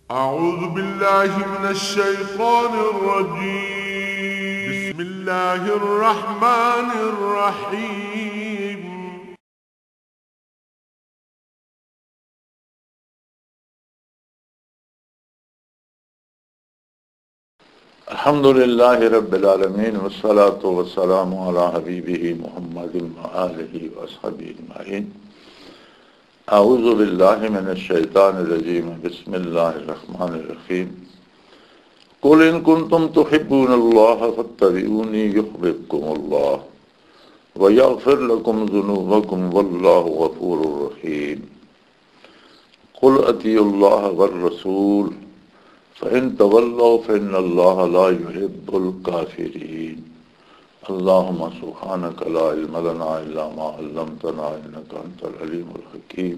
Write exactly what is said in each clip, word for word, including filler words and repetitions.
أعوذ بالله من الشيطان الرجيم. بسم الله الرحمن الرحيم. الحمد لله رب العالمين، والصلاة والسلام على حبيبه محمد وآله وأصحابه أجمعين. أعوذ بالله من الشيطان الرجيم. بسم الله الرحمن الرحيم. قل إن كنتم تحبون الله فاتبعوني يحببكم الله ويغفر لكم ذنوبكم والله غفور رحيم. قل أطيعوا الله والرسول فإن تولوا فإن الله لا يحب الكافرين. اللهم سبحانك لا علم لنا إلا ما علمتنا إنك أنت العليم الحكيم.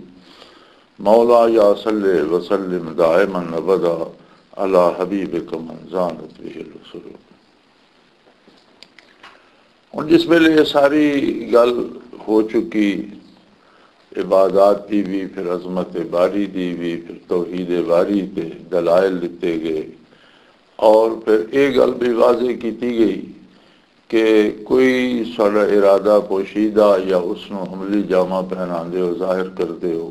مولاي صل وسلم دائما أبدا على حبيبك من زانت به الرسل. ہن جس ویلے یہ ساری گل ہو چکی، عبادات دی بھی، پھر عظمت باری دی بھی، پھر توحید باری تے دلائل دتے گئے، اور پھر یہ گل بھی واضح کیتی گئی کہ کوئی ساڈا ارادہ پوشیدہ یا اس نو عملی جامہ پہناندے ہو، ظاہر کردے ہو،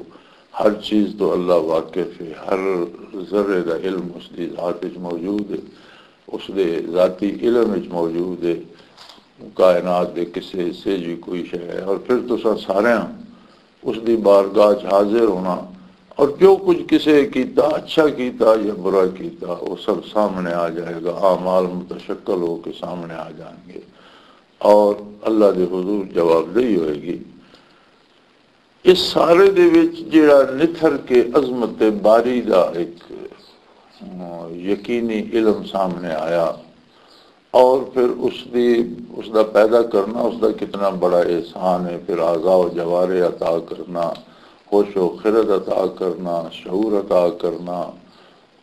ہر چیز تو اللہ واقف ہے، ہر ذرے دا علم اس دی ذات وچ موجود ہے، اس دے ذاتی علم وچ موجود ہے، کائنات دے کسے حصے جی کوئی شے ہے، اور پھر تساں سارے اس دی بارگاہ چ حاضر ہونا، اور جو کچھ کسے کیتا، اچھا کیتا یا برا کیتا، وہ سب سامنے آ جائے گا، اعمال متشکل ہو کے سامنے آ جائیں گے، اور اللہ دے حضور جوابدہی ہوئے گی۔ اس سارے دے وچ جڑا نتھر کے عظمت باری دا ایک، م، یقینی علم سامنے آیا، اور پھر اس دی، اس دا پیدا کرنا، اس دا کتنا بڑا احسان ہے، پھر اعضاء و جوارے عطا کرنا، ہوش و خرد عطا کرنا، شعور عطا کرنا،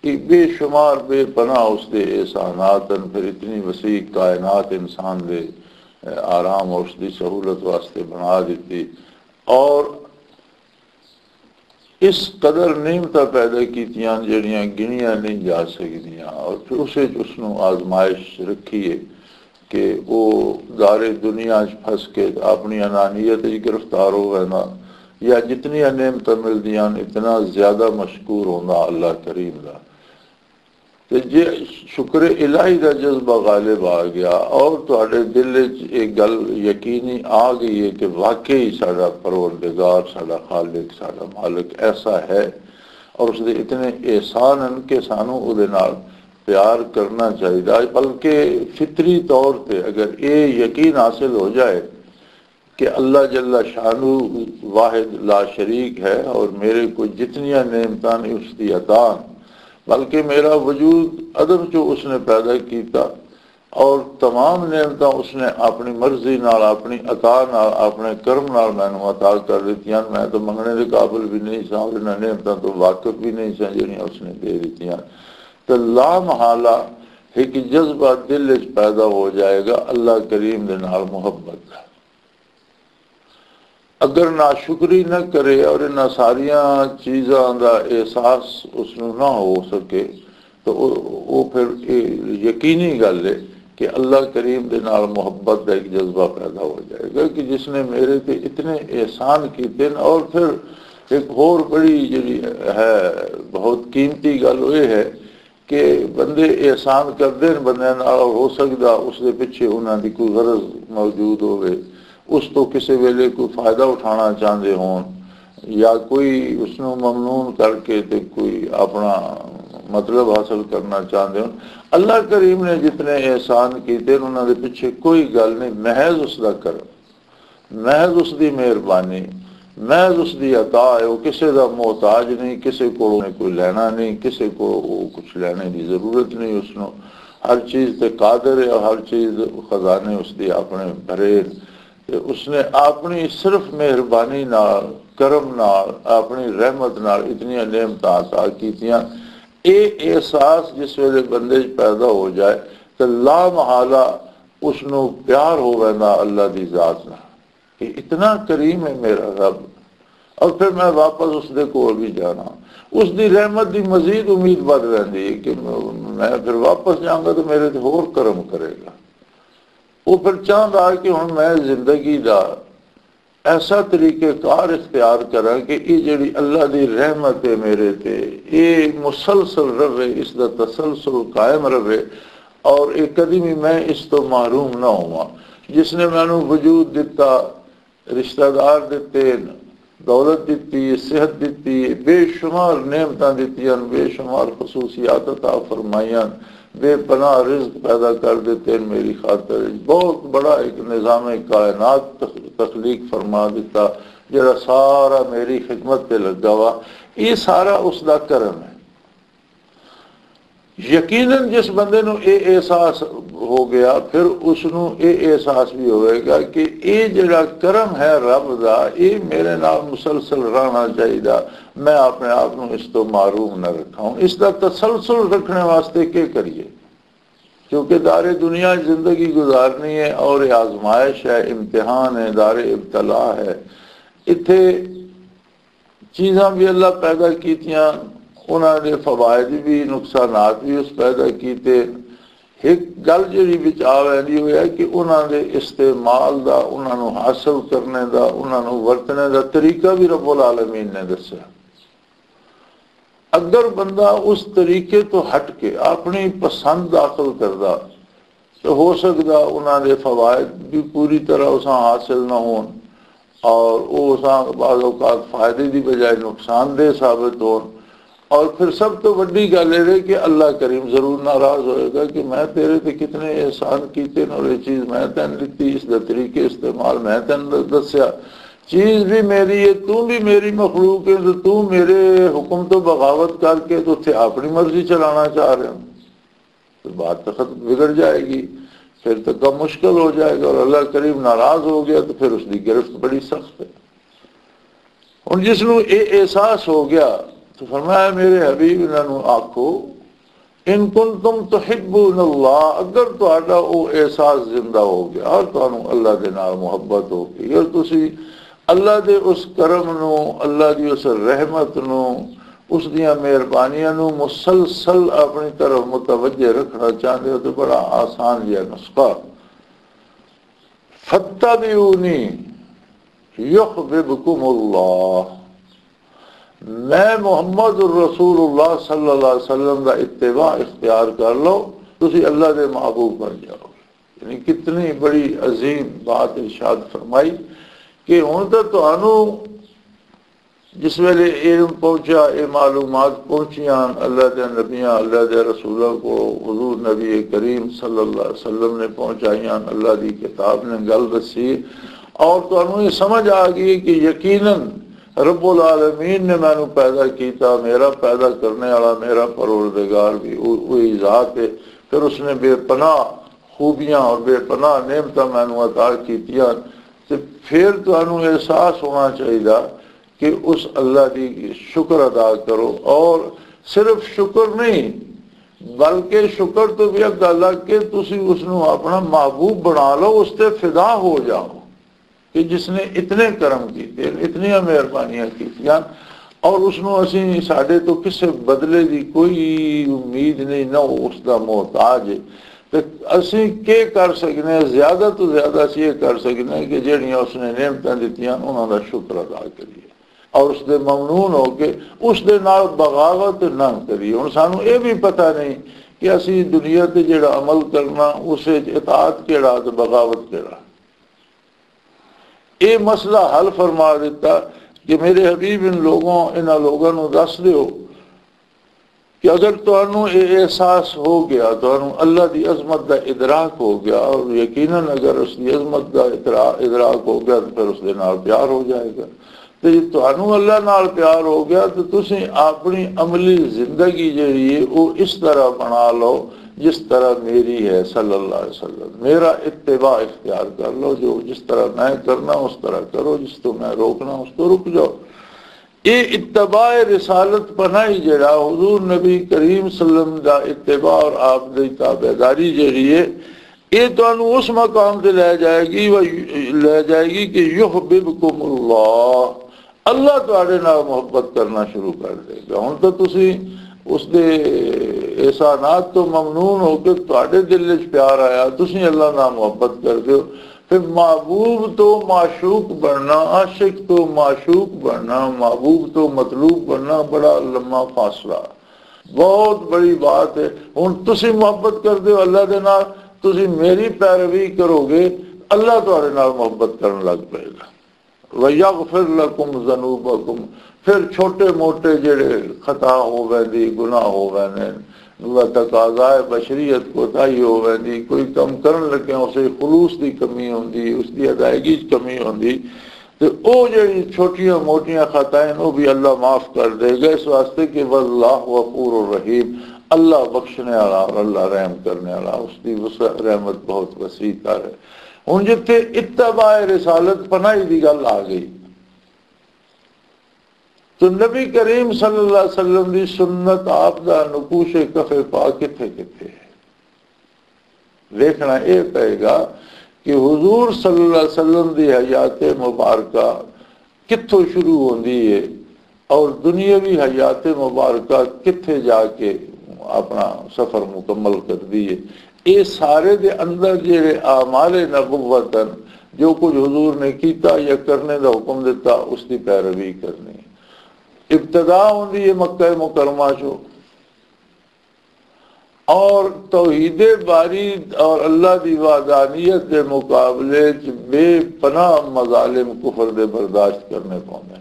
یہ بے شمار بے پناہ اس دے احسانات ہیں۔ پھر اتنی وسیع کائنات انسان دے، اے، آرام اور اس دی سہولت واسطے بنا دیتی، اور اس قدر نعمتاں پیدا کیتیاں جڑیاں گنیاں نہیں جا سکدیاں، اور پھر اسے چ اس نوں آزمائش رکھی ہے کہ وہ دار دنیا چ پھس کے اپنی انانیت وچ گرفتار ہو ویندا، یا جتنیاں نعمتاں ملدیاں اتنا زیادہ مشکور ہوندا اللہ کریم دا۔ تے جے شکر الہی دا جذبہ غالب آ گیا اور تہاڈے دل وچ یہ گل یقینی آ گئی ہے کہ واقعی ساڈا پروردگار، ساڈا خالق، ساڈا مالک ایسا ہے اور اس دے اتنے احسان ہیں کہ سانوں او دے نال پیار کرنا چاہیدا، بلکہ فطری طور تے اگر یہ یقین حاصل ہو جائے کہ اللہ جل شانہ واحد لا شریک ہے اور میرے کو جتنیاں نعمتاں نے اس دی عطا ہیں، بلکہ میرا وجود عدم چو اس نے پیدا کیتا اور تمام نعمتاں اس نے اپنی مرضی نال، اپنی عطا نال، اپنے کرم نال مینوں عطا کر دتیاں۔ میں تو منگنے دے قابل بھی نہیں سا اور انہاں نعمتاں تو واقف بھی نہیں سا جڑیاں اس نے دے دتیاں۔ تے لا محالہ ایک جذبہ دل وچ پیدا ہو جائے گا اللہ کریم دے نال محبت دا۔ اگر ناشکری نہ کرے اور انہاں ساریاں چیزاں دا احساس اس نوں نہ ہو سکے، تو او، او پھر اے یقینی گل ہے کہ اللہ کریم دے نال محبت دا ایک جذبہ پیدا ہو جائے گا کہ جس نے میرے تے اتنے احسان کیتے ہیں۔ اور پھر ایک ہور بڑی جڑی ہے، بہت قیمتی گل وہ یہ ہے کہ بندے احسان کردے نے بندے نال، اور ہو سکدا اس دے پچھے انہاں دی کوئی غرض موجود ہوے، اس تو کسے ویلے کوئی فائدہ اٹھانا چاہندے ہون، یا کوئی اس نوں ممنون کر کے تے کوئی اپنا مطلب حاصل کرنا چاہندے ہون۔ اللہ کریم نے جتنے احسان کیتے نے، انہاں دے پچھے کوئی گل نہیں، محض اس دا کرم۔ محض اس دی مہربانی، محض اس دی عطا ہے۔ وہ کسے دا محتاج نہیں، کسے کو کوئی لینا نہیں، کسے کو وہ کچھ لینے دی ضرورت نہیں۔ اس نو ہر چیز تے قادر ہے اور ہر چیز، خزانے اس دی اپنے بھرے۔ تے اس نے اپنی صرف مہربانی نال، کرم نال، اپنی رحمت نال اتنی نعمتاں عطا کیتیاں۔ اے احساس جس ویلے بندے چ پیدا ہو جائے، تے لا محالہ اس نو پیار ہو ویندا اللہ دی ذات نال کہ اتنا کریم ہے میرا رب، اور پھر میں واپس اس دے کول بھی جانا۔ اس دی رحمت دی مزید امید ودھ ویندی ہے کہ میں پھر واپس جاؤں گا تو میرے تے ہور کرم کرے گا۔ وہ پھر چاہندا کہ ہن میں زندگی دا ایسا طریقہ کار اختیار کراں کہ یہ جڑی اللہ دی رحمت ہے میرے تے، یہ مسلسل رہے، اس دا تسلسل قائم رہے، اور یہ کدی بھی میں اس تو محروم نہ ہواں۔ جس نے مینوں وجود دتا، رشتہ دار دتے، دولت دتی، صحت دتی، بے شمار نعمتاں دتیاں، بے شمار خصوصیات عطا فرمائیاں، بے پناہ رزق پیدا کر دتے میری خاطر۔ بہت بڑا ایک نظام کائنات تخ-، تخلیق فرما دیتا، جڑا سارا میری خدمت تے لگا وا۔ یہ سارا اس دا کرم ہے۔ یقیناً جس بندے نو اے احساس ہو گیا، پھر اس نو اے احساس بھی ہوئے گا کہ اے جڑا کرم ہے رب دا، اے میرے نال مسلسل رہنا چاہیے۔ میں اپنے آپ نو اس تو محروم نہ رکھاں۔ اس دا تسلسل رکھنے واسطے کی کریے؟ کیونکہ دار دنیا زندگی گزارنی ہے اور یہ آزمائش ہے، امتحان ہے، دار ابتلا ہے۔ اتھے چیزاں بھی اللہ پیدا کیتیاں، انہاں دے فوائد بھی، نقصانات بھی اس پیدا کیتے۔ ایک گل جڑی وچ آ ویندی ہوئی ہے کہ انہاں دے استعمال دا، انہاں نوں حاصل کرنے دا، انہاں نوں ورتنے دا طریقہ بھی رب العالمین نے دسیا۔ اگر بندہ اس طریقے تو ہٹ کے اپنی پسند داخل کردا، تو ہو سکدا انہاں دے فوائد بھی پوری طرح اساں حاصل نہ ہون، اور وہ اساں بعض اوقات فائدے دی بجائے نقصان دہ ثابت ہون۔ اور پھر سب تو وڈی گل یہ ہے کہ اللہ کریم ضرور ناراض ہوئے گا کہ میں تیرے تے کتنے احسان کیتے نے، اور یہ چیز میں تین دتی، اس دا طریقے استعمال میں تین د-، دسیا۔ چیز بھی میری ہے، تو بھی میری مخلوق ہے، تو تو میرے حکم تو بغاوت کر کے تو اتھے اپنی مرضی چلانا چاہ رہے ہو۔ تو بات تو ختم، بگڑ جائے گی، پھر تو کم مشکل ہو جائے گا، اور اللہ کریم ناراض ہو گیا تو پھر اس کی گرفت بڑی سخت ہے۔ ہن جس نوں اے احساس ہو گیا، تو فرمایا، میرے حبیب، انہاں نوں آکھو، ان کنتم تحبون اللہ، اگر تہاڈا او احساس زندہ ہو گیا اور تانوں اللہ دے نال محبت ہو گئی اور تسی اللہ دے اس کرم نوں، اللہ دی اس رحمت نوں، اس دیاں مہربانیاں نوں مسلسل اپنی طرف متوجہ رکھنا چاہندے ہو، تو بڑا آسان جہا نسخہ۔ فَاتَّبِعُونِي يُحْبِبْكُمُ اللَّهُ۔ میں محمد الرسول اللہ صلی اللہ علیہ وسلم دا اتباع اختیار کر لو، تسی اللہ دے محبوب بن جاؤ۔ یعنی کتنی بڑی عظیم بات ارشاد فرمائی کہ ہن تے تانوں جس ویلے علم پہنچیا، یہ معلومات پہنچیاں اللہ دے نبیاں، اللہ دے رسولوں کو، حضور نبی کریم صلی اللہ علیہ وسلم نے پہنچائیاں، اللہ دی کتاب نے گل دسی، اور تانوں یہ سمجھ آ گئی کہ یقیناً رب العالمین نے مینوں پیدا کیتا، میرا پیدا کرنے والا میرا پروردگار بھی وہ-، وہی ذات ہے۔ پھر اس نے بے پناہ خوبیاں اور بے پناہ نعمتاں مینوں عطا کیتیاں، تے پھر تانوں احساس ہونا چاہیدا کہ اس اللہ دی شکر ادا کرو، اور صرف شکر نہیں، بلکہ شکر تو بھی اگا لگ کے تسی اس نو اپنا محبوب بنا لو، اس تے فدا ہو جاؤ کہ جس نے اتنے کرم کیتے، اتنی مہربانیاں کیتیاں، اور اس نو اسی، ساڈے تو کسے بدلے دی کوئی امید نہیں، نہ وہ اس دا محتاج ہے۔ تے اسی کی کر سکنے ہیں؟ زیادہ تو زیادہ اسی یہ کر سکنے ہیں کہ جہڑیاں اس نے نعمتاں دتیاں، انہاں دا شکر ادا کریے اور اس دے ممنون ہو کے اس دے نال بغاوت نہ کریے۔ ہن سانوں یہ بھی پتہ نہیں کہ اسی دنیا تے جہڑا عمل کرنا، اس وچ اطاعت کیڑا تے بغاوت کیڑا۔ یہ مسئلہ حل فرما دیتا کہ میرے حبیب، ان لوگوں، انہاں لوگوں نوں دس دیو کہ اگر تانوں یہ احساس ہو گیا، تانوں اللہ دی عظمت دا ادراک ہو گیا، اور یقیناً اگر اس دی عظمت دا ادرا-، ادراک ہو گیا تو پھر اس دے نال پیار ہو جائے گا۔ تے جے تانوں اللہ نال پیار ہو گیا تو تسی اپنی عملی زندگی جڑی ہے وہ اس طرح بنا لو جس طرح میری ہے صلی اللہ علیہ وسلم۔ میرا اتباع اختیار کر لو، جو جس طرح میں کرنا اس طرح کرو، جس تو میں روکنا اس تو رک جاؤ۔ یہ اتباع رسالت پناہی جڑا حضور نبی کریم صلی اللہ علیہ وسلم دا اتباع اور آپ دی تابعداری جڑی ہے، یہ تانوں اس مقام تے لے جائے گی، وہ لے جائے گی کہ یحببکم اللہ، اللہ تہاڈے نال محبت کرنا شروع کر دے گا۔ ہن تاں تسی اس دے احسانات تو ممنون ہو کے تہاڈے دل وچ پیار آیا، تسی اللہ نال محبت کر دیو۔ پھر محبوب تو معشوق بننا، عاشق تو معشوق بننا، محبوب تو مطلوب بننا بڑا لمبا فاصلہ، بہت بڑی بات ہے۔ ہن تسی محبت کر دیو اللہ دے نال، تسی میری پیروی کرو گے، اللہ تہاڈے نال محبت کرن لگ پئے گا۔ وَيَغْفِرْ لَكُمْ ذُنُوبَكُمْ۔ پھر چھوٹے موٹے جڑے خطا ہو ویندی، گناہ ہو ویندے، و تقاضائے بشریت کوتاہی ہو ویندی، کوئی کم کرن لگے اسے خلوص دی کمی ہوندی، اس دی ادائیگی چ کمی ہوندی، تے او جڑی چھوٹیاں موٹیاں خطائیں او بھی اللہ معاف کر دے گا، اس واسطے کہ واللہ غفور الرحیم، اللہ بخشنے والا اور اللہ رحم کرنے والا، اس دی وسع، رحمت بہت وسیع تر ہے۔ ہن جتھے اتباع رسالت پناہی دی گل آ گئی، تو نبی کریم صلی اللہ علیہ وسلم دی سنت، آپ دا نقوش کف پا کتھے کتھے ہے؟ ویکھنا یہ پئے گا کہ حضور صلی اللہ علیہ وسلم دی حیات مبارکہ کتھوں شروع ہوندی ہے اور دنیاوی حیات مبارکہ کتھے جا کے اپنا سفر مکمل کردی ہے۔ یہ سارے دے اندر جڑے اعمال نبوت ہیں، جو کچھ حضور نے کیتا یا کرنے دا حکم دیتا، اس دی پیروی کرنی۔ ابتدا ہوندی ہے مکہ مکرمہ چو، اور توحید باری اور اللہ دی وحدانیت دے مقابلے چ بے پناہ مظالم کفر دے برداشت کرنے پوندے۔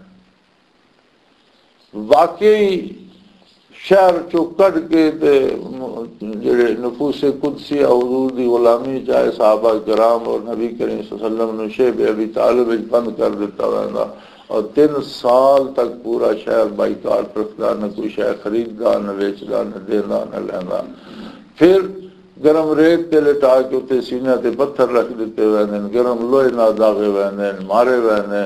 واقعی شہر چو کڈ کے تے م-، جڑے نفوس قدسی حضور دی غلامی چاہے صحابہ کرام اور نبی کریم صلی اللہ علیہ وسلم نو شیب ابی طالب وچ بند کر دیتا ویندا، اور تین سال تک پورا شہر بائیکاٹ رکھدا، نہ کوئی شے خریددا، نہ ویچدا، نہ دیندا، نہ لیندا۔ پھر گرم ریت تے لٹا کے اتنے سینے تے پتھر رکھ دیتے ویندے نے، گرم لوہے نال داغے ویندے نے، مارے ویندے نے،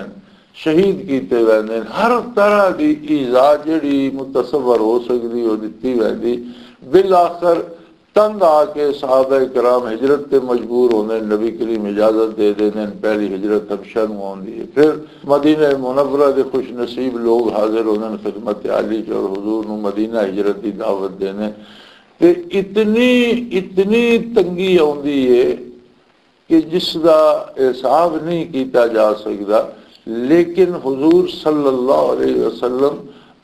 شہید کیتے ویندے نے۔ ہر طرح دی ایذا جڑی متصور ہو سکدی، او دتی ویندی۔ بالآخر تنگ آ کے صحابہ کرام ہجرت تے مجبور ہوندے نے، نبی کریم اجازت دے دیندے نے، پہلی ہجرت حبشہ نوں ہوندی ہے۔ پھر مدینہ منورہ دے خوش نصیب لوگ حاضر ہوندے نے خدمت عالی چ اور حضور نوں مدینہ ہجرت دی دعوت دیندے نے۔ تے اتنی، اتنی تنگی آندی ہے کہ جس دا حساب نہیں کیتا جا سکدا، لیکن حضور صلی اللہ علیہ وسلم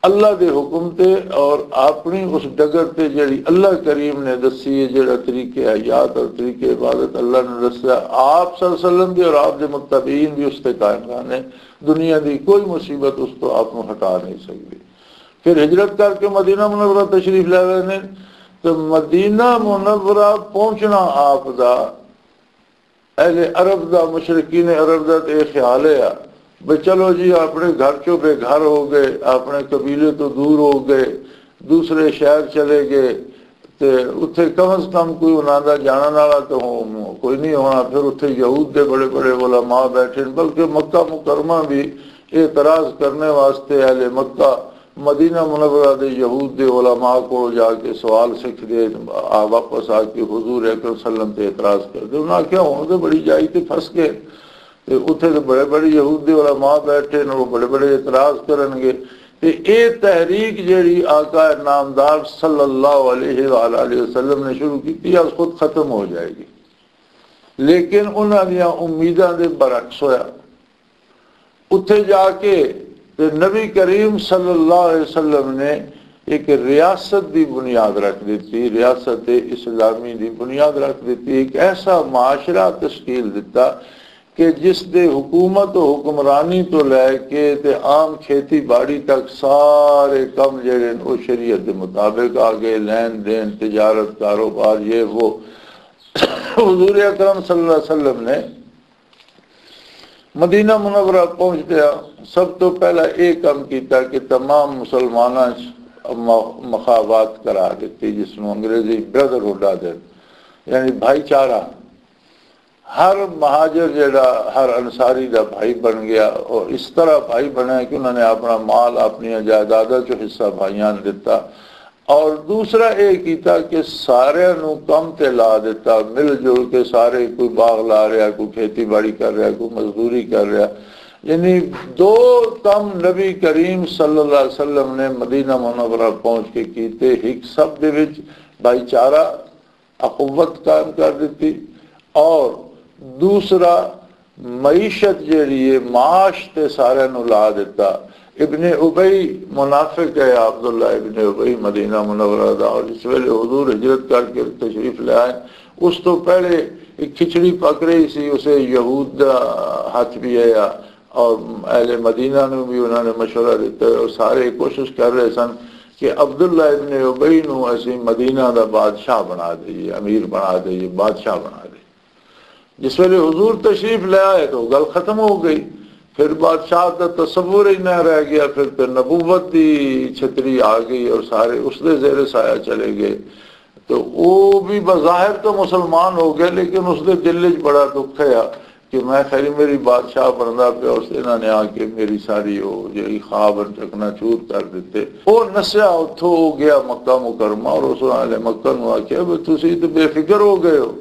اللہ دے حکم تے اور اپنی اس ڈگر تے جڑی اللہ کریم نے دسی ہے، جڑا طریقے حیات اور طریقے عبادت اللہ نے دسیا، آپ صلی اللہ علیہ وسلم بھی اور آپ دے متبعین بھی اس تے قائم رہنے۔ دنیا دی کوئی مصیبت اس تو آپ نوں ہٹا نہیں سکدی۔ پھر ہجرت کر کے مدینہ منورہ تشریف لے رہے نے، تو مدینہ منورہ پہنچنا آپ دا اہل عرب دا، مشرکین عرب دا تے یہ خیال ہے بھئی چلو جی، اپنے گھر چوں بے گھر ہو گئے، اپنے قبیلے تو دور ہو گئے، دوسرے شہر چلے گئے، تے اتھے کم از کم کوئی انہاں دا جانن والا تو ہو-، کوئی نہیں ہونا۔ پھر اتھے یہود دے بڑے بڑے علماء بیٹھے نے، بلکہ مکہ مکرمہ بھی اعتراض کرنے واسطے اہل مکہ مدینہ منورہ دے یہود دے علماء کو جا کے سوال سکھ دے، آ، واپس آ کے حضور اکرم صلی اللہ علیہ وسلم تے اعتراض کر دے۔ انہاں آکھیا، "ہن تے بڑی جائی تے پھس گئے، تے اتھے تے بڑے بڑے یہود دے علماء بیٹھے نے، وہ بڑے بڑے اعتراض کرن گے۔" تے اے تحریک جیڑی آقا نامدار صلی اللہ علیہ وآلہ وسلم نے شروع کی، آج خود ختم ہو جائے گی۔ لیکن انہاں دیاں امیداں دے برعکس ہویا۔ اتھے جا کے تے نبی کریم صلی اللہ علیہ وسلم نے ایک ریاست دی بنیاد رکھ دیتی، ریاست اسلامی دی بنیاد رکھ دیتی، ایک ایسا معاشرہ تشکیل دیتا کہ جس دے حکومت و حکمرانی تو لے کے تے عام کھیتی باڑی تک سارے کم جڑے نے، او شریعت دے مطابق آ گئے، لین دین، تجارت، کاروبار، یہ وہ۔ حضور اکرم صلی اللہ علیہ وسلم نے مدینہ منورہ پہنچدیا سب تو پہلا یہ کام کیتا کہ تمام مسلماناں چ م-، مخابات کرا دیتی، جس نوں انگریزی بردرہڈ آدھے، یعنی بھائی چارہ۔ ہر مہاجر جڑا ہر انصاری دا بھائی بن گیا، اور اس طرح بھائی بنیا کہ انہوں نے اپنا مال، اپنی جائیداداں چوں حصہ بھائیاں نوں دتا۔ اور دوسرا یہ کیتا کہ سارے نوں کم تے لا دیتا، مل جل کے سارے، کوئی باغ لا رہا، کوئی کھیتی باڑی کر رہا، کوئی مزدوری کر رہا۔ یعنی دو کم نبی کریم صلی اللہ علیہ وسلم نے مدینہ منورہ پہنچ کے کیتے۔ ایک سب دے وچ بھائی چارہ، اخوت قائم کر دیتی، اور دوسرا معیشت جیڑی ہے، معاش تے سارے نو لا دیتا۔ ابن ابی منافق ہے، عبداللہ ابن ابی مدینہ منورہ دا، اور جس ویلے حضور ہجرت کر کے تشریف لے آئے، اس تو پہلے ایک کھچڑی پک رہی سی، اسے یہود دا ہاتھ بھی آیا، اور اہل مدینہ نو بھی انہوں نے مشورہ دیتا ہے، اور سارے کوشش کر رہے سن کہ عبداللہ ابن ابی نو اسی مدینہ دا بادشاہ بنا دئیے، امیر بنا دئیے، بادشاہ بنا دئیے۔ جس ویلے حضور تشریف لے آئے تو گل ختم ہو گئی۔ پھر بادشاہ دا تصور ہی نہ رہ گیا، پھر تے نبوت دی چھتری آ گئی اور سارے اس دے زیر سایہ چلے گئے۔ تو وہ بھی بظاہر تو مسلمان ہو گئے، لیکن اس دے دل وچ بڑا دکھ ہے کہ میں خیری میری بادشاہ بندا پیا، اس انہاں نے آ کے میری ساری وہ جڑی خواب چکنا چور کر دیتے۔ وہ نسیا اتھوں، وہ گیا مکہ مکرمہ اور اس والے مکہ نو آکھیا، "بھی تسی تے بے فکر ہو گئے ہو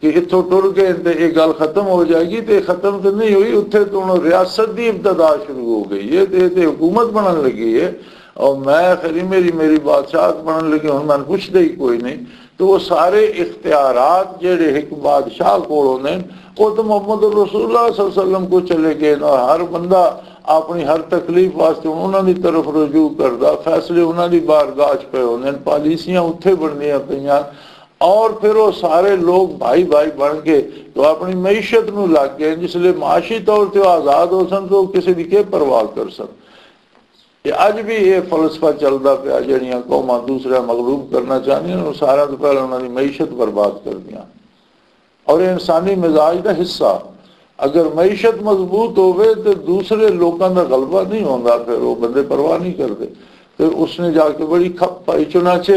کہ اتھوں ٹر گئے تے یہ گل ختم ہو جائے گی، تے ختم تے نہیں ہوئی، اتھے تو ہن ریاست دی ابتدا شروع ہو گئی ہے، تے تے حکومت بنن لگی ہے، اور میں خیری میری میری بادشاہت بنن لگی، ہن میں پوچھدے ہی کوئی نہیں۔" تو وہ سارے اختیارات جڑے ایک بادشاہ کول ہوندے نے، وہ تو محمد رسول اللہ صلی اللہ علیہ وسلم کو چلے گئے نا۔ ہر بندہ اپنی ہر تکلیف واسطے انہاں دی طرف رجوع کردا، فیصلے انہاں دی بارگاہ چ پے ہوندے نے، پالیسیاں اتھے بندیاں پیاں۔ اور پھر وہ سارے لوگ بھائی بھائی بن کے تو اپنی معیشت نو لگ گئے، جس لئے معاشی طور تے وہ آزاد ہو سن تو کسی دی کی پرواہ کر سن۔ تے اج بھی یہ فلسفہ چلدا پیا، جڑیاں قوماں دوسرے مغلوب کرنا چاہندیاں، وہ سارا تو پہلے انہاں دی معیشت برباد کردیاں۔ اور یہ انسانی مزاج دا حصہ، اگر معیشت مضبوط ہوئے تو دوسرے لوکاں دا غلبہ نہیں ہوندا، پھر وہ بندے پرواہ نہیں کردے۔ پھر اس نے جا کے بڑی کھپ پائی۔ چنانچہ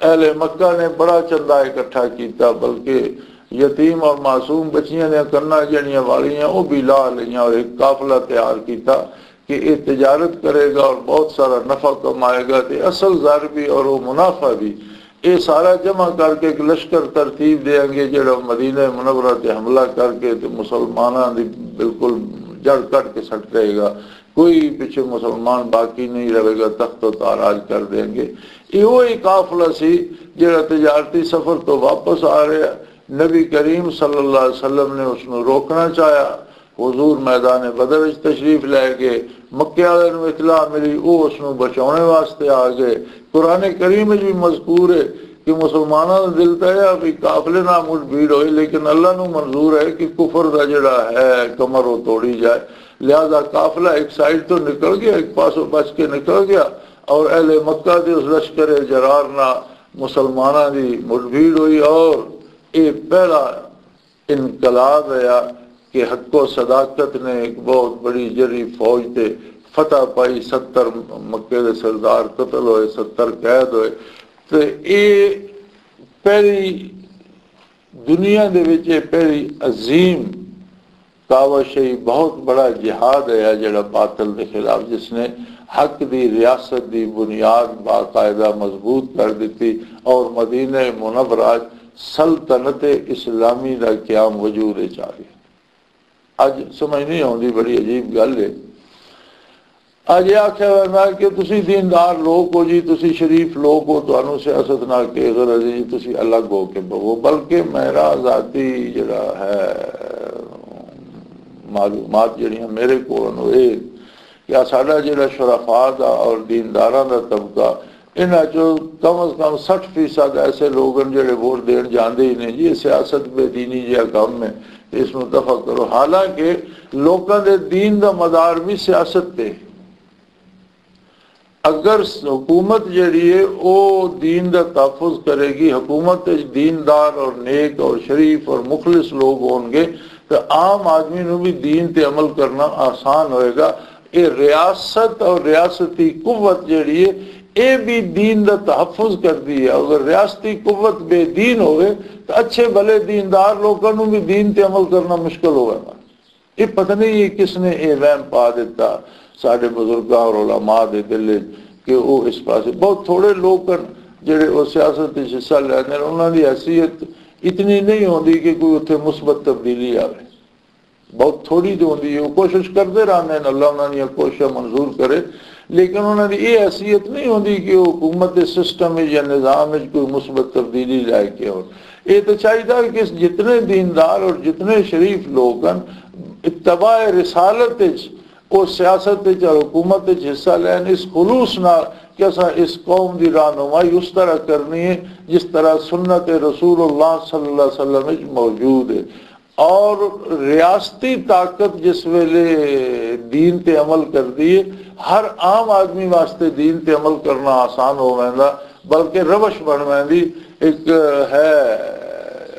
اہل مکہ نے بڑا چندہ اکٹھا کیتا، بلکہ یتیم اور معصوم بچیاں دیاں کناں جڑیاں والیاں، وہ بھی لا لئیاں اور ایک قافلہ تیار کیتا کہ یہ تجارت کرے گا اور بہت سارا نفع کمائے گا، تے اصل زر بھی اور وہ منافع بھی۔ یہ سارا جمع کر کے ایک لشکر ترتیب دیاں گے، جڑا مدینہ منورہ تے حملہ کر کے تے مسلماناں دی بالکل جڑ کٹ کے سٹ دے گا۔ کوئی پچھے مسلمان باقی نہیں رہے گا، تخت و تاراج کر دیں گے۔ یہ وہی قافلہ سی جڑا تجارتی سفر تو واپس آ رہا۔ نبی کریم صلی اللہ علیہ وسلم نے اس نو روکنا چاہیا۔ حضور میدان بدر وچ تشریف لے گئے، مکے والے نو اطلاع ملی، وہ اس نو بچاؤنے واسطے آ گئے۔ قرآن کریم وچ بھی مذکور ہے کہ مسلمانوں کا دل تو یہ بھی قافلے نہ مٹ بھیڑ ہوئی، لیکن اللہ نو منظور ہے کہ کفر دا جڑا ہے کمر وہ توڑی جائے۔ لہذا قافلہ ایک سائیڈ تو نکل گیا، ایک پاسوں بچ کے نکل گیا، اور اہل مکہ دے اس لشکر جرار نہ مسلمانوں دی مٹ بھیڑ ہوئی، اور یہ پہلا انقلاب آیا کہ حق و صداقت نے ایک بہت بڑی جری فوج تے فتح پائی، ستر مکے دے سردار قتل ہوئے، ستر قید ہوئے۔ تے اے پہلی دنیا دے وچ اے پہلی عظیم کاوش ہے، بہت بڑا جہاد ہے جڑا باطل دے خلاف، جس نے حق دی ریاست دی بنیاد باقاعدہ مضبوط کر دیتی اور مدینہ منورہ سلطنت اسلامی دا قیام وجود وچ آ گیا۔ اج سمجھ نہیں آتی، بڑی عجیب گل ہے۔ اج یہ آخیا جاتا ہے کہ تسی دیندار لوگ ہو جی، تسی شریف لوگ ہو، تانوں سیاست نال کی غرض ہے جی، تسی الگ ہو کے بہو۔ بلکہ میرا ذاتی جڑا ہے معلومات جڑیاں میرے کول نے، وہ یہ کہ ساڈا جڑا شرفا دا اور دینداراں دا طبقہ، انہاں چوں کم از کم سٹھ فیصد ایسے لوگ ہیں جڑے ووٹ دین جاندے ہی نہیں جی، یہ سیاست بے دینی جہا کم ہے، اس نوں دفع کرو۔ حالانکہ لوکاں دے دین دا مدار بھی سیاست تے۔ اگر س-، حکومت جڑی ہے، او دین دا تحفظ کرے گی، حکومت وچ دیندار اور نیک اور شریف اور مخلص لوگ ہون گے، تو عام آدمی نوں بھی دین تے عمل کرنا آسان ہوئے گا۔ اے ریاست اور ریاستی قوت جڑی ہے، اے بھی دین دا تحفظ کردی ہے۔ اگر ریاستی قوت بے دین ہوئے، تو اچھے بھلے دیندار لوکاں نوں بھی دین تے عمل کرنا مشکل ہوئے گا۔ یہ پتہ نہیں یہ کس نے یہ وہم پا دیتا ساڈے بزرگاں اور علماء دے دل وچ کہ وہ اس پاسے، بہت تھوڑے لوگ ہیں جڑے وہ سیاست وچ حصہ لیندے ہیں، انہاں دی حیثیت اتنی نہیں ہوندی کہ کوئی اتھے مثبت تبدیلی آوے۔ بہت تھوڑی جو ہوندی ہے، وہ کوشش کرتے رہتے ہیں، اللہ انہاں دیاں کوششاں منظور کرے، لیکن انہاں دی یہ حیثیت نہیں ہوندی کہ وہ حکومت دے سسٹم وچ یا نظام وچ کوئی مثبت تبدیلی لے کے آؤ۔ یہ تو چاہیے کہ جتنے دیندار اور جتنے شریف لوگ ہیں، اتباع رسالت وچ، وہ سیاست وچ اور حکومت وچ حصہ لین، اس خلوص نال کہ اساں اس قوم دی رہنمائی اس طرح کرنی ہے جس طرح سنت رسول اللہ صلی اللہ علیہ وسلم وچ موجود ہے۔ اور ریاستی طاقت جس ویلے دین تے عمل کردی ہے، ہر عام آدمی واسطے دین تے عمل کرنا آسان ہو ویندا، بلکہ روش بن ویندی۔ ایک ہے،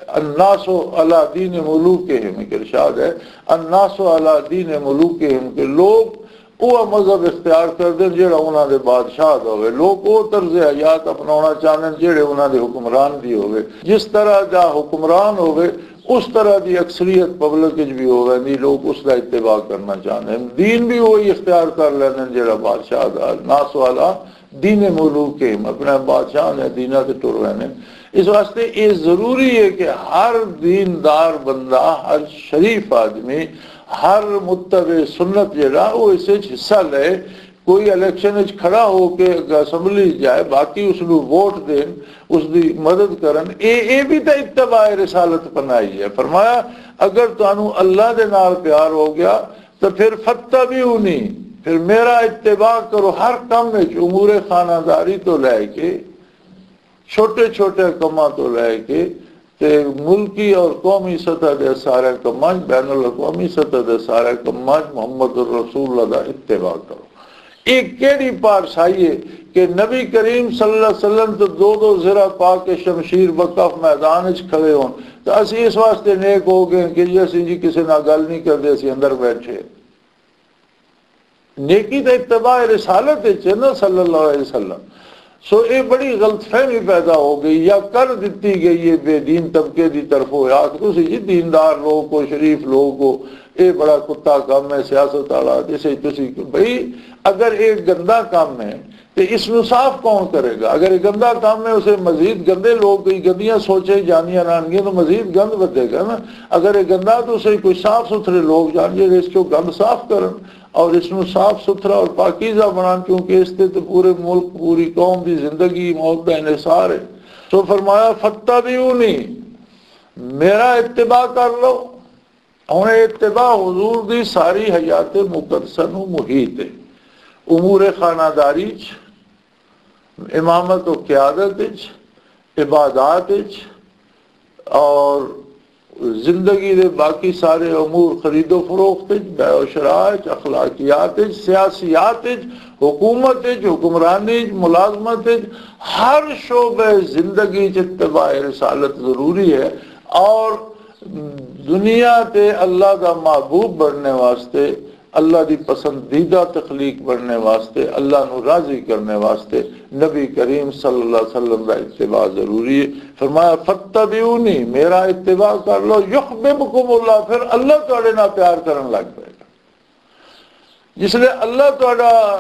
الناس علی دین ملوکہم، ایک ارشاد ہے، الناس علی دین ملوکہم، کہ لوگ وہ مذہب اختیار کر دین جڑا انہاں دے بادشاہ دا ہوئے۔ لوگ وہ طرز حیات اپناونا چاہندے جڑے انہاں دے حکمران دی ہوئے۔ جس طرح دا حکمران ہوئے، اس طرح دی اکثریت پبلک وچ بھی ہو ویندی، لوگ اس دا اتباع کرنا چاہندے ہیں۔ دین بھی وہی اختیار کر لیندے ہیں جڑا بادشاہ دا، ناس والا دین ملوک ہے، اپنے بادشاہ نے دیناں تے ٹر رہے ہیں۔ اس واسطے یہ ضروری ہے کہ ہر دیندار بندہ، ہر شریف آدمی، ہر متبع سنت جڑا، وہ اس وچ حصہ لے۔ کوئی الیکشن وچ کھڑا ہو کے اسمبلی جائے، باقی اس نو ووٹ دین، اس دی مدد کرن، اے، اے بھی تے اتباع رسالت بنائی ہے۔ فرمایا، اگر تانوں اللہ دے نال پیار ہو گیا تو پھر فتبعونی، پھر میرا اتباع کرو ہر کم وچ، امور خانہ داری تو لے کے چھوٹے چھوٹے کماں تو لے کے تے ملکی اور قومی سطح دے سارے کماں، بین الاقوامی سطح دے سارے کماں محمد الرسول اللہ دا اتباع کرو۔ یہ کیڑی پارسائی ہے کہ نبی کریم صلی اللہ علیہ وسلم تو دو دو زرہ پا کے شمشیر بکف میدان وچ کھڑے ہون؟ تو اسی اس واسطے نیک ہو گئے کہ جی اسی جی کسی نال گل نہیں کردے، اسی اندر بیٹھے۔ نیکی تے اتباع رسالت وچ ہے نا، صلی اللہ علیہ وسلم۔ سو یہ بڑی غلط فہمی پیدا ہو گئی یا کر دتی گئی ہے بے دین طبقے دی طرفوں، آخ تسی جی دیندار لوگ ہو، شریف لوگ ہو، یہ بڑا کتا کام ہے سیاست والا، جسے تسی بھئی، اگر یہ گندا کام ہے تے اس نو صاف کون کرے گا؟ اگر یہ گندا کام ہے، اسے مزید گندے لوگ، کوئی گندیاں سوچیں جانیاں رہن گیاں تو مزید گند ودے گا نا۔ اگر یہ گندا تو اسے کوئی صاف ستھرے لوگ جان جے اس کو گند صاف کرن اور اس نو صاف ستھرا اور پاکیزہ بنان، کیونکہ اس تے تو پورے ملک، پوری قوم دی زندگی موت دا انحصار ہے۔ سو فرمایا، "فتبعونی"، میرا اتباع کر لو۔ ہن اتباع حضور دی ساری حیات مقدسہ نو محیط ہے۔ امور خانہ داری چ، امامت و قیادت چ، عبادات چ، اور زندگی دے باقی سارے امور، خرید و فروخت وچ، بیع و شراء وچ، اخلاقیات وچ، سیاسیات وچ، حکومت وچ، حکمرانی وچ، ملازمت وچ، ہر شعبہ زندگی وچ اتباع رسالت ضروری ہے۔ اور دنیا تے اللہ دا محبوب بننے واسطے، اللہ دی پسندیدہ تخلیق بننے واسطے، اللہ نو راضی کرنے واسطے نبی کریم صلی اللہ علیہ وسلم دا اتباع ضروری ہے۔ فرمایا، "فتبعونی"، میرا اتباع کر لو، "یحببکم اللہ"، پھر اللہ تواڈے نال پیار کرن لگ پائے گا۔ جس لئے اللہ تواڈا،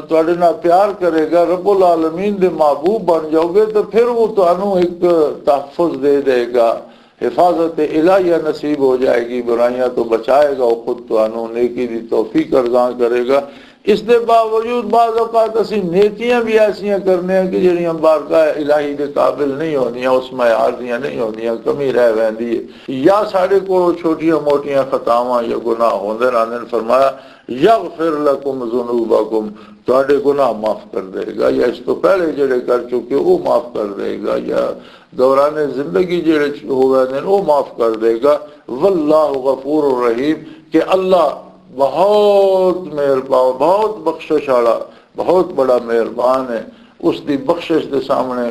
تواڈے نال پیار کرے گا، رب العالمین دے محبوب بن جاؤ گے، تو پھر وہ تانوں ایک تحفظ دے دے گا، حفاظت الہیہ نصیب ہو جائے گی، برائیاں تو بچائے گا، وہ خود تانوں نیکی دی توفیق ارزاں کرے گا۔ اس دے باوجود بعض اوقات اسی نیکیاں بھی ایسیاں کرنے ہیں کہ جڑیاں بارگاہ الہی دے قابل نہیں ہوندیاں، اس معیار دیاں نہیں ہوندیاں، کمی رہ ویندی ہے، یا ساڈے کولوں چھوٹیاں موٹیاں خطاواں یا گناہ ہوندے رہندے نے۔ فرمایا، "یغفر لکم ذنوبکم"، تہاڈے گناہ معاف کر دے گا، یا اس تو پہلے جڑے کر چکے وہ معاف کر دے گا، یا دوران زندگی جڑے چ-، ہو گئے نے وہ معاف کر دے گا۔ واللہ غفور رحیم، کہ اللہ بہت مہربان، بہت بخشش والا، بہت بڑا مہربان ہے۔ اس دی بخشش دے سامنے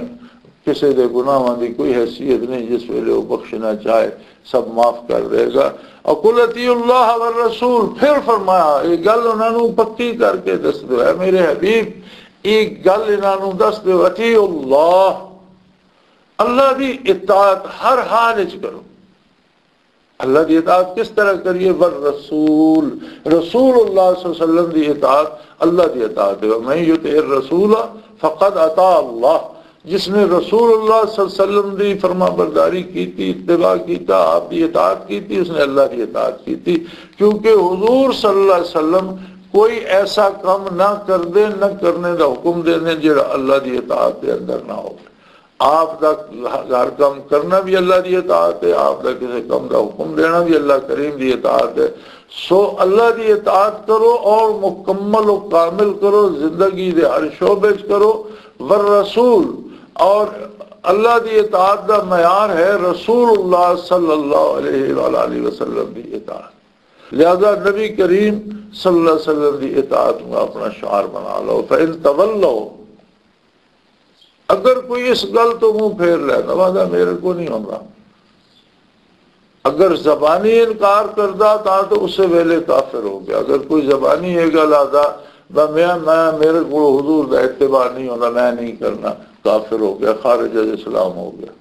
کسے دے گناہاں دی کوئی حیثیت نہیں، جس ویلے وہ بخشنا چاہے سب معاف کر دے گا۔ اور "قل اطیعوا اللہ والرسول"، پھر فرمایا، یہ گل انہاں نوں پکی کر کے دس دو، اے میرے حبیب، یہ گل انہاں نوں دس دو، "اطیعوا اللہ"، اللہ دی اطاعت ہر حال وچ کرو۔ اللہ دی اطاعت کس طرح کریے؟ "والرسول"، رسول اللہ صلی اللہ علیہ وسلم دی اطاعت اللہ دی اطاعت ہے۔ "ومن یطع الرسول فقد اطاع اللہ"، جس نے رسول اللہ صلی اللہ علیہ وسلم دی فرما برداری کیتی، اتباع کیتا، آپ دی اطاعت کیتی، اس نے اللہ دی اطاعت کیتی۔ کیونکہ حضور صلی اللہ علیہ وسلم کوئی ایسا کام نہ کردے، نہ کرنے دا حکم دیندے جڑا اللہ دی اطاعت دے اندر نہ ہو۔ آپ دا ہر کام کرنا بھی اللہ دی اطاعت ہے، آپ دا کسی کام دا حکم دینا بھی اللہ کریم دی اطاعت ہے۔ سو اللہ دی اطاعت کرو اور مکمل و کامل کرو، زندگی دے ہر شعبے چ کرو۔ والرسول، اور اللہ دی اطاعت دا معیار ہے رسول اللہ صلی اللہ علیہ وآلہ وسلم دی اطاعت۔ لہذا نبی کریم صلی اللہ علیہ وسلم دی اطاعت نوں اپنا شعار بنا لو۔ فَإِن تَوَلَّوْا، اگر کوئی اس گل تو منہ پھیر لے، نوازا میرے کو نہیں ہوندا۔ اگر زبانی انکار کردا تاں تو اسے ویلے کافر ہو گیا۔ اگر کوئی زبانی یہ گل آدا، "میں، میں، میرے کو حضور دا اتباع نہیں ہوندا، میں نہیں کرنا"، کافر ہو گیا، خارج از اسلام ہو گیا۔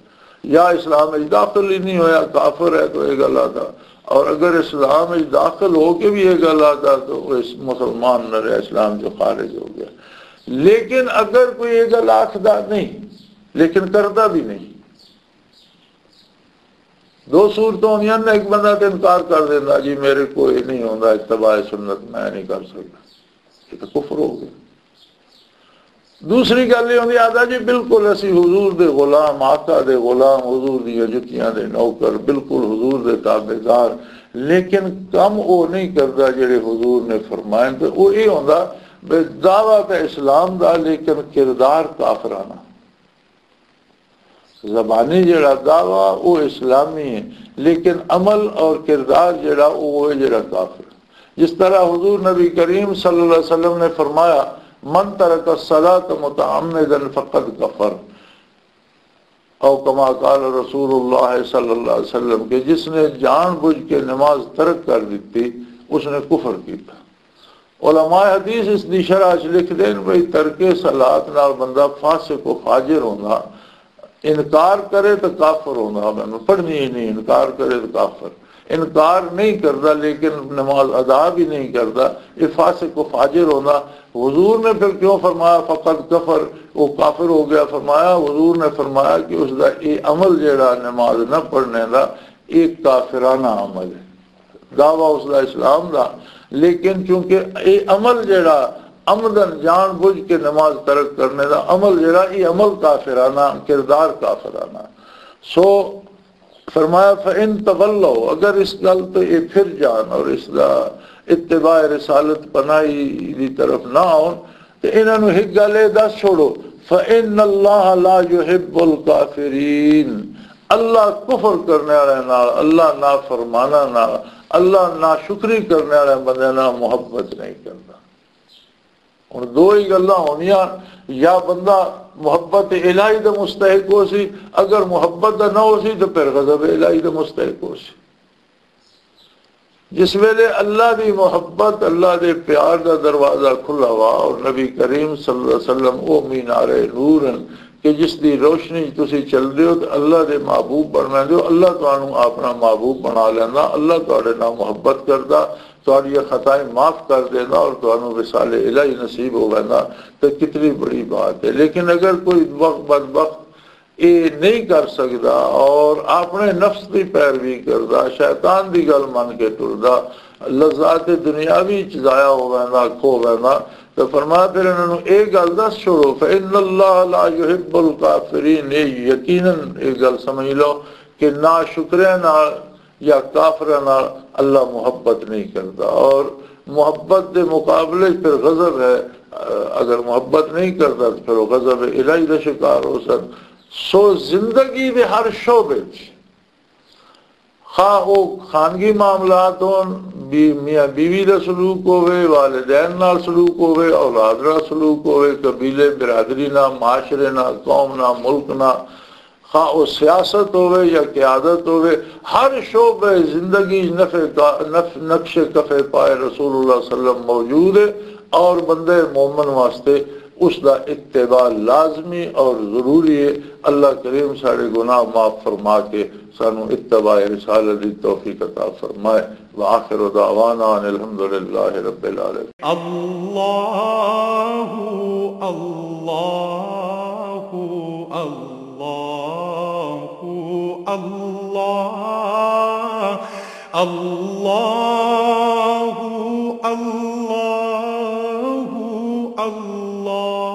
یا اسلام وچ داخل ہی نہیں ہویا، کافر ہے تو یہ گل آدا۔ اور اگر اسلام وچ داخل ہو کے بھی یہ گل آدا تو وہ اس مسلمان نہ رہا، اسلام جو خارج ہو گیا۔ لیکن اگر کوئی یہ گل آخدا نہیں، لیکن کردا بھی نہیں، دو صورتوں ہوندیاں نے، ایک بندہ تے انکار کر دیندا، "جی میرے کو یہ نہیں ہوندا، اتباع سنت میں نہیں کر سکدا"، یہ تو کفر ہو گیا۔ دوسری گل یہ ہوندی، آدا جی بالکل اسی حضور دے غلام، آقا دے غلام، حضور دی جتیاں دے نوکر، بالکل حضور دے تابعدار، لیکن کم وہ نہیں کردا جڑے حضور نے فرمائے۔ تو وہ یہ ہوندا بے دعویٰ تے اسلام دا، لیکن کردار کافرانہ۔ زبانی جڑا دعویٰ وہ اسلامی ہے، لیکن عمل اور کردار جڑا وہ ہے جڑا کافر۔ جس طرح حضور نبی کریم صلی اللہ علیہ وسلم نے فرمایا، "من ترک الصلاۃ متعمدا فقد کفر"، او کما قال رسول اللہ صلی اللہ علیہ وسلم، کہ جس نے جان بوجھ کے نماز ترک کر دیتی، اس نے کفر کیتا۔ علماء حدیث اس دی شرح چ لکھ دین بھئی، ترک صلات نال بندہ فاسق و فاجر ہوندا، انکار کرے تو کافر ہوندا، میں پڑھنی ہی نہیں، انکار کرے تو کافر، انکار نہیں کردا لیکن نماز ادا بھی نہیں کردا، یہ فاسق و فاجر ہوندا۔ حضور نے پھر کیوں فرمایا فقد کفر، وہ کافر ہو گیا؟ فرمایا، حضور نے فرمایا کہ اس دا یہ عمل جڑا نماز نہ پڑھنے دا، یہ کافرانہ عمل ہے۔ دعویٰ اس دا اسلام دا، لیکن چونکہ یہ عمل جڑا عمدن جان بوجھ کے نماز ترک کرنے دا عمل جڑا، یہ عمل کافرانہ، کردار کافرانہ۔ سو فرمایا، "فَإِن تَوَلَّوْا"، اگر اس گل تو یہ پھر جان اور اس دا اتباع رسالت پناہی دی طرف نہ آؤن، تے انہاں نوں ایک گل اے دس چھوڑو، "فَإِنَّ اللَّهَ لَا يُحِبُّ الْكَافِرِينَ"، اللہ کفر کرنے والے نال، اللہ نافرماناں نال، اللہ ناشکری کرنے والے بندے نال محبت نہیں کردا۔ ہن دو ہی گلاں ہونیاں، یا بندہ محبت الہی دا مستحق ہو سی، اگر محبت دا نہ ہو سی تو پھر غضب الہی دا مستحق ہو سی۔ جس ویلے اللہ دی محبت، اللہ دے پیار دا دروازہ کھلا ہوا اور نبی کریم صلی اللہ علیہ وسلم او مینار نور ہیں کہ جس دی روشنی تسی چل دے ہو تو اللہ دے محبوب بن ویندے ہو، اللہ تانوں اپنا محبوب بنا لیندا، اللہ تہاڈے نال محبت کردا، تہاڈیاں خطائیں معاف کر دیندا اور تانوں وصال الہی نصیب ہو ویندا، تے کتنی بڑی بات ہے۔ لیکن اگر کوئی بخ-، بدبخت یہ نہیں کر سکدا اور اپنے نفس دی پیروی کردا، شیطان دی گل من کے ٹردا، لذات دنیاوی چ ضائع ہو ویندا، کھو ویندا، تو فرمایا پھر انہاں نوں اے گل دس چھوڑو، "فإن اللہ لا یحب الکافرین"، یہ یقیناً یہ گل سمجھ لو کہ ناشکرے نال یا کافراں نال اللہ محبت نہیں کردا، اور محبت دے مقابلے چ پھر غضب ہے۔ اگر محبت نہیں کردا تو پھر وہ غضب الہی دا شکار ہو سن۔ سو زندگی دے ہر شعبے چ، خواہ وہ خانگی معاملات ہون، بی-، میاں بیوی دا سلوک ہوے، والدین نال سلوک ہوے، اولاد نال سلوک ہوے، قبیلے برادری نال، معاشرے نال، قوم نال، ملک نال، خواہ وہ سیاست ہوے یا قیادت ہوے، ہر شعبہ زندگی نفع کا-، نف-، نقش کفے پائے رسول اللہ صلی اللہ علیہ وسلم موجود ہے، اور بندے مومن واسطے اس دا اتباع لازمی اور ضروری ہے۔ اللہ کریم سارے گناہ معاف فرما کے سانو اتباع رسالت دی توفیق عطا فرمائے۔ وآخر دعوانا ان الحمدللہ رب العالمین۔ اللہ، اللہ، اللہ، اللہ، اللہ۔